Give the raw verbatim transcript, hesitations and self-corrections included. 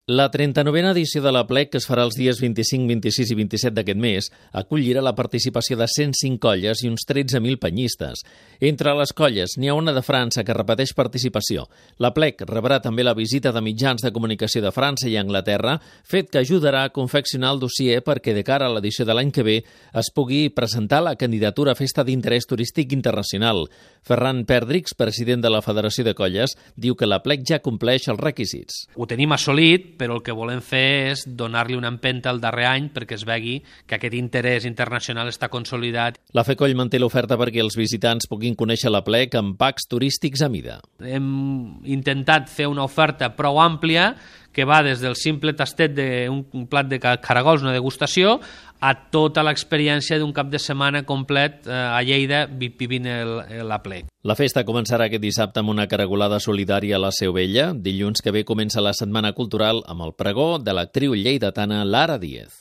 La trenta-novena edició de l'Aplec, que es farà els dies vint-i-cinc, vint-i-sis i vint-i-set d'aquest mes, acollirà la participació de cent cinc colles i uns tretze mil penyistes. Entre les colles n'hi ha una de França que repeteix participació. L'Aplec rebrà també la visita de mitjans de comunicació de França i Anglaterra, fet que ajudarà a confeccionar el dossier perquè de cara a l'edició de l'any que ve es pugui presentar la candidatura a Festa d'Interès Turístic Internacional. Ferran Perdrix, president de la Federació de Colles, diu que l'Aplec ja compleix els requisits. Ho tenim assolit, però el que volem fer és donar-li una empenta al darrer any perquè es vegi que aquest interès internacional està consolidat. La FECOLL manté l'oferta perquè els visitants puguin conèixer l'Aplec amb packs turístics a mida. Hem intentat fer una oferta prou àmplia que va des del simple tastet d'un plat de caragols, una degustació, a tota l'experiència d'un cap de setmana complet a Lleida vivint l'Aplec. La festa començarà aquest dissabte amb una caragolada solidària a la Seu Vella. Dilluns que ve comença la Setmana Cultural amb el pregó de l'actriu lleidatana Lara Díez.